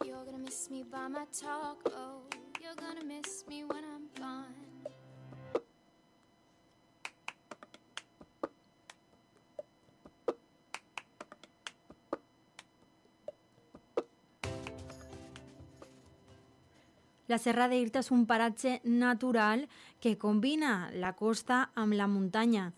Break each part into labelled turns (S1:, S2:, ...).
S1: You're gonna miss me by my talk. Oh, you're gonna miss me when I'm gone.
S2: La Serra d'Irta és un paratge natural que combina la costa amb la muntanya.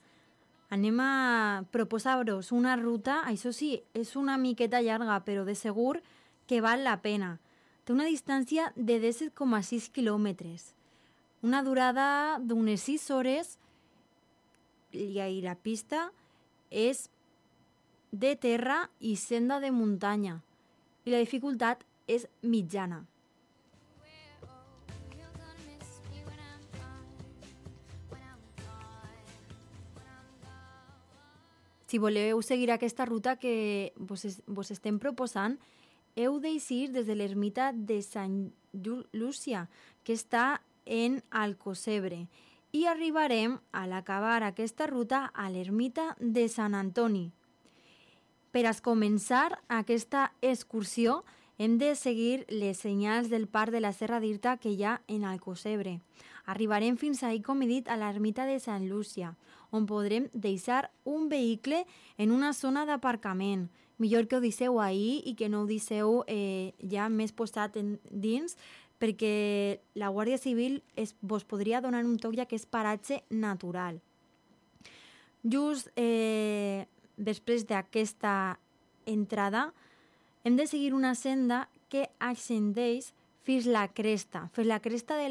S2: Anem a proposar-vos una ruta, això sí, és una miqueta llarga, però de segur que val la pena. Té una distància de 17,6 quilòmetres, una durada d'unes 6 hores i la pista és de terra i senda de muntanya i la dificultat és mitjana. Si voleu seguir aquesta ruta que vos estem proposant, heu d'eixir des de l'ermita de Sant Llúcia, que està en Alcocebre, i arribarem a l'acabar aquesta ruta a l'ermita de Sant Antoni. Per a començar aquesta excursió, hem de seguir les senyals del parc de la Serra d'Irta que hi ha en Alcocebre. Arribarem fins ahir, com he dit, a l'ermita de Sant Llúcia, on podrem deixar un vehicle en una zona d'aparcament. Millor que ho deixeu ahir i que no ho deixeu ja més posat dins, perquè la Guàrdia Civil vos podria donar un toc, ja que és paratge natural. Just després d'aquesta entrada, hem de seguir una senda que ascendeix fins la cresta de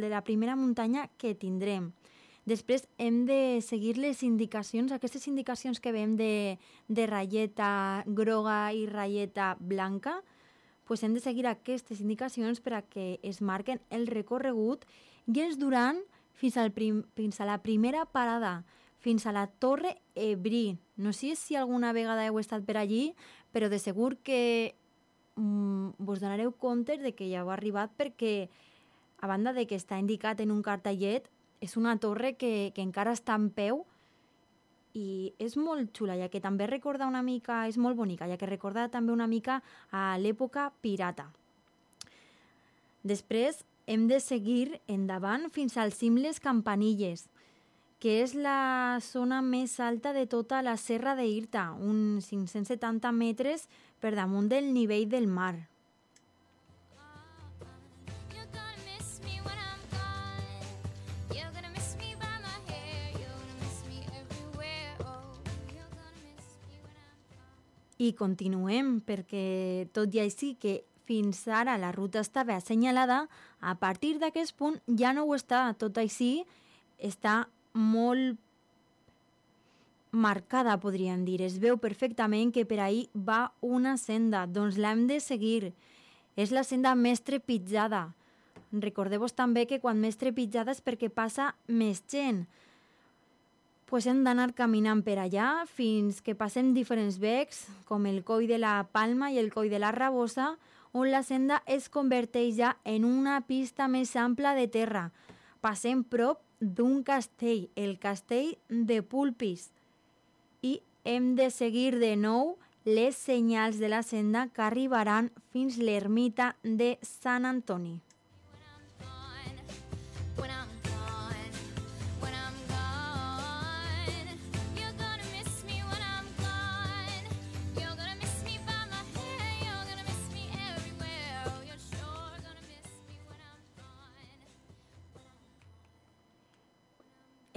S2: la primera muntanya que tindrem. Després hem de seguir les indicacions, aquestes indicacions que veiem de ratlleta groga i ratlleta blanca, doncs hem de seguir aquestes indicacions per a que es marquen el recorregut i ens duran fins a la primera parada, fins a la Torre Ebrí. No sé si alguna vegada heu estat per allí, però de segur que vos donareu compte de que ja heu arribat, perquè a banda de que està indicat en un cartellet, és una torre que encara està en peu i és molt xula, ja que també recorda una mica, és molt bonica, ja que recorda també una mica a l'època pirata. Després hem de seguir endavant fins al cim Les Campanilles, que és la zona més alta de tota la Serra d'Irta, uns 570 metres per damunt del nivell del mar. I continuem, perquè tot i així que fins ara la ruta estava assenyalada, a partir d'aquest punt ja no ho està. Tot així està molt marcada, podríem dir. Es veu perfectament que per ahí va una senda, doncs l'hem de seguir. És la senda més trepitjada. Recordeu-vos també que quan més trepitjada és perquè passa més gent. Pues hem d'anar caminant per allà fins que passem diferents becs, com el Coll de la Palma i el Coll de la Rabosa, on la senda es converteix ja en una pista més ampla de terra. Passem prop d'un castell, el castell de Pulpis, i hem de seguir de nou les senyals de la senda que arribaran fins l'ermita de Sant Antoni.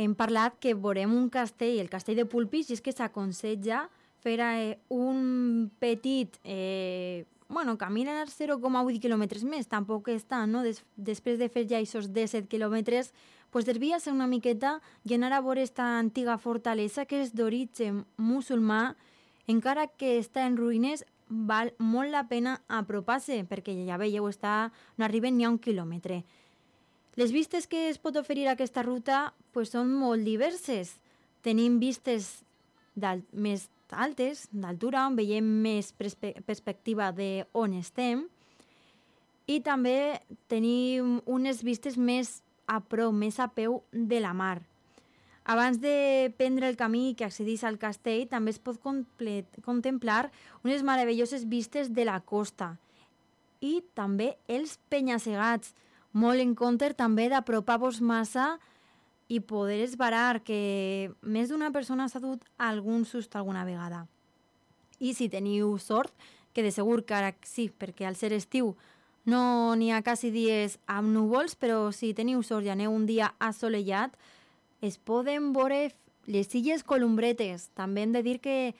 S2: Hem parlat que veurem un castell, el castell de Pulpis, i és que s'aconseja fer un petit caminar 0,8 quilòmetres més, tampoc és tant, no? Després de fer ja aquests 17 quilòmetres, pues desvia-se una miqueta i anar a veure aquesta antiga fortalesa que és d'origen musulmà, encara que està en ruïnes, val molt la pena apropar-se, perquè ja veieu, no arriben ni a 1 quilòmetre. Les vistes que es pot oferir a aquesta ruta pues, són molt diverses. Tenim vistes més altes, d'altura, on veiem més perspectiva d'on estem, i també tenim unes vistes més a prop, més a peu de la mar. Abans de prendre el camí que accedeix al castell, també es pot contemplar unes meravelloses vistes de la costa. i també els penya-segats. Molt en compte també d'apropar-vos massa i poder esbarar, que més d'una persona s'ha dut algun susto alguna vegada. I si teniu sort, que de segur que ara sí, perquè al ser estiu no n'hi ha quasi dies amb núvols, però si teniu sort i aneu un dia assolellat, es poden veure les illes Columbretes. També hem de dir que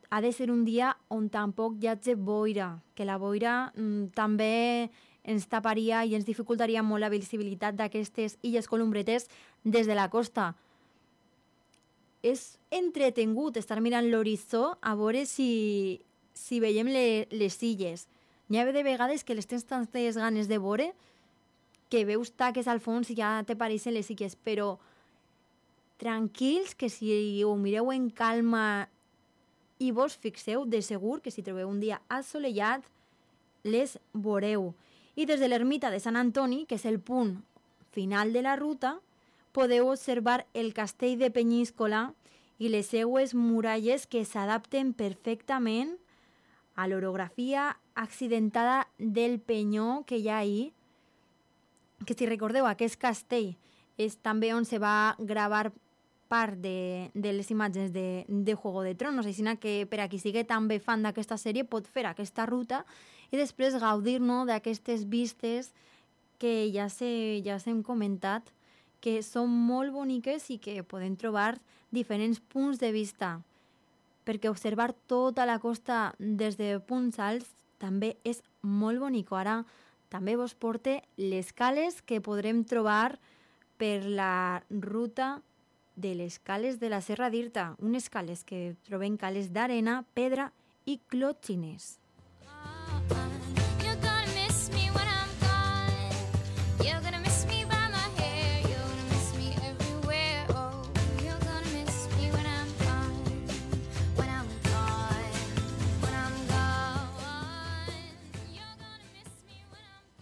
S2: ha de ser un dia on tampoc hi hagi boira, que la boira també ens taparia i ens dificultaria molt la visibilitat d'aquestes illes Columbretes des de la costa. És entretengut estar mirant l'horitzó a veure si veiem les illes. N'hi ha de vegades que les tens tantes ganes de veure que veus taques al fons i ja t'apareixen les illes, però tranquils, que si ho mireu en calma i vos fixeu, de segur que si trobeu un dia assolellat, les veureu. I des de l'ermita de Sant Antoni, que és el punt final de la ruta, podeu observar el castell de Penyíscola i les seues muralles que s'adapten perfectament a l'orografia accidentada del penyó que hi ha ahí, que si recordeu, aquest castell és també on se va gravar part de les imatges de Juego de Tronos, així que per a qui sigui també fan d'aquesta sèrie pot fer aquesta ruta i després gaudir, no, d'aquestes vistes que ja s'hem comentat, que són molt boniques i que podem trobar diferents punts de vista, perquè observar tota la costa des de punts alts també és molt bonic. Ara també vos porte les cales que podrem trobar per la ruta de les cales de la Serra d'Irta, unes cales que trobem cales d'arena, pedra i clòtxines.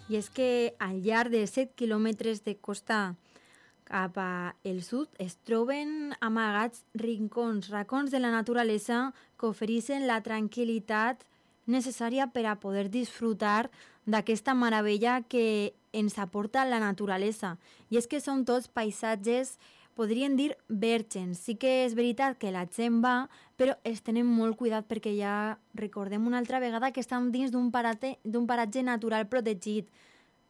S2: I és que al llarg de 7 quilòmetres de costa cap al sud es troben amagats racons de la naturalesa que ofereixen la tranquil·litat necessària per a poder disfrutar d'aquesta meravella que ens aporta la naturalesa. I és que són tots paisatges, podríem dir, vèrgens. Sí que és veritat que la gent va, però els tenen molt cuidat perquè ja recordem una altra vegada que estan dins d'un paratge natural protegit.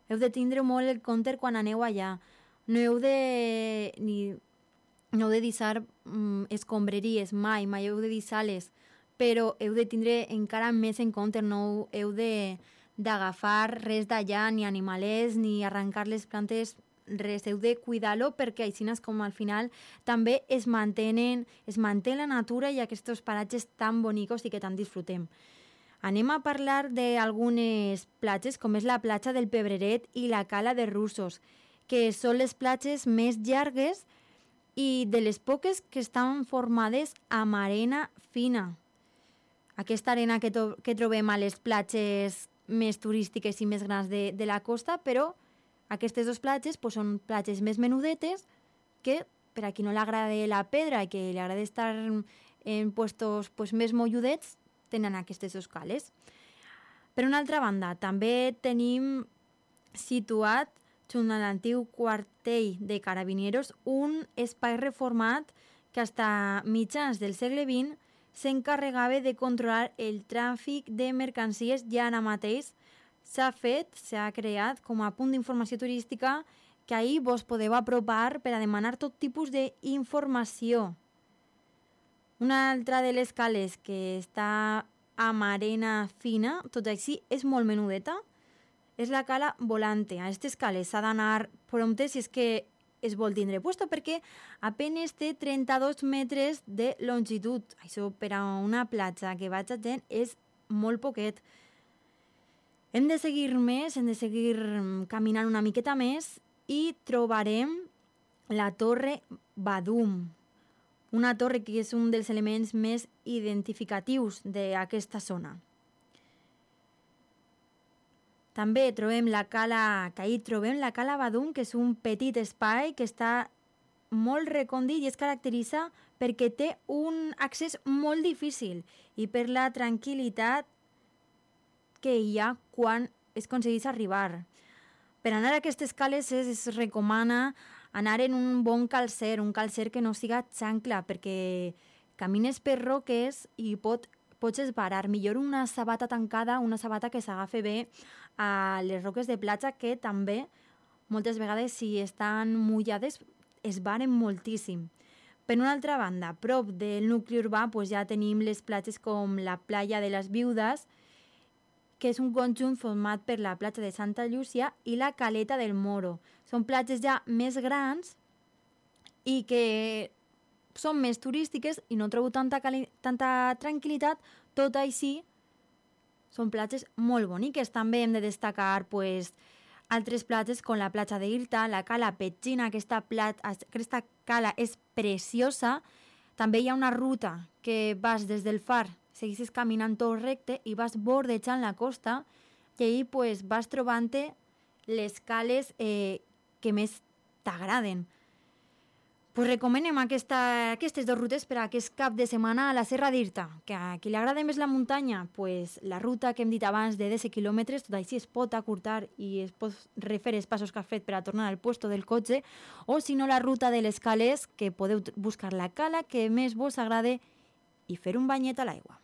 S2: Heu de tindre molt en compte quan aneu allà. No heu de deixar escombraries mai heu de deixar-les, però heu de tindre encara més en compte, no heu d'agafar res d'allà, ni animalets, ni arrencar les plantes, res, heu de cuidar-lo perquè així com al final també es manté la natura i aquests paratges tan bonicos i que tant disfrutem. Anem a parlar d'algunes platges, com és la platja del Pebreret i la cala de Russos, que són les platges més llargues i de les poques que estan formades amb arena fina. Aquesta arena que trobem a les platges més turístiques i més grans de la costa, però aquestes dues platges són platges més menudetes que, per a qui no li agrada la pedra i que li agrada estar en puestos més molludets, tenen aquestes dues cales. Per una altra banda, també tenim situat junt a l'antic quartell de Carabineros un espai reformat que fins a mitjans del segle XX s'encarregava de controlar el tràfic de mercancies i ara mateix s'ha creat com a punt d'informació turística que ahir vos podeu apropar per a demanar tot tipus d'informació. Una altra de les cales que està amb arena fina, tot així és molt menudeta, és la cala Volante. A aquestes cales s'ha d'anar prompte si és que es vol tindre puesto, perquè apenas té 32 metres de longitud. Això per a una platja que vaig a gent és molt poquet. Hem de seguir caminant una miqueta més i trobarem la Torre Badum, una torre que és un dels elements més identificatius d'aquesta zona. També trobem la cala Badum, que és un petit espai que està molt recòndit i es caracteritza perquè té un accés molt difícil i per la tranquil·litat que hi ha quan es aconsegueix arribar. Per anar a aquestes cales es recomana anar en un bon calcer, un calcer que no siga xancla, perquè camines per roques i pots esbarar. Millor una sabata tancada, una sabata que s'agafi bé a les roques de platja, que també moltes vegades, si estan mullades, esbaren moltíssim. Per una altra banda, a prop del nucli urbà ja tenim les platges com la Playa de les Viudes, que és un conjunt format per la platja de Santa Llúcia i la Caleta del Moro. Són platges ja més grans i que són més turístiques i no trobo tanta tranquil·litat, tot així són platges molt boniques. També hem de destacar altres platges com la platja d'Irta, la Cala Petxina, aquesta cala és preciosa. També hi ha una ruta que vas des del far, segueixes caminant tot recte i vas bordejant la costa i ahir vas trobant-te les cales que més t'agraden. Recomanem aquestes dues rutes per a aquest cap de setmana a la Serra d'Irta. Que a qui li agrada més la muntanya, la ruta que hem dit abans de 10 quilòmetres, tot així es pot acurtar i es pot refer els passos que has fet per a tornar al puesto del cotxe, o si no la ruta de les cales, que podeu buscar la cala que més vos agrade i fer un banyet a l'aigua.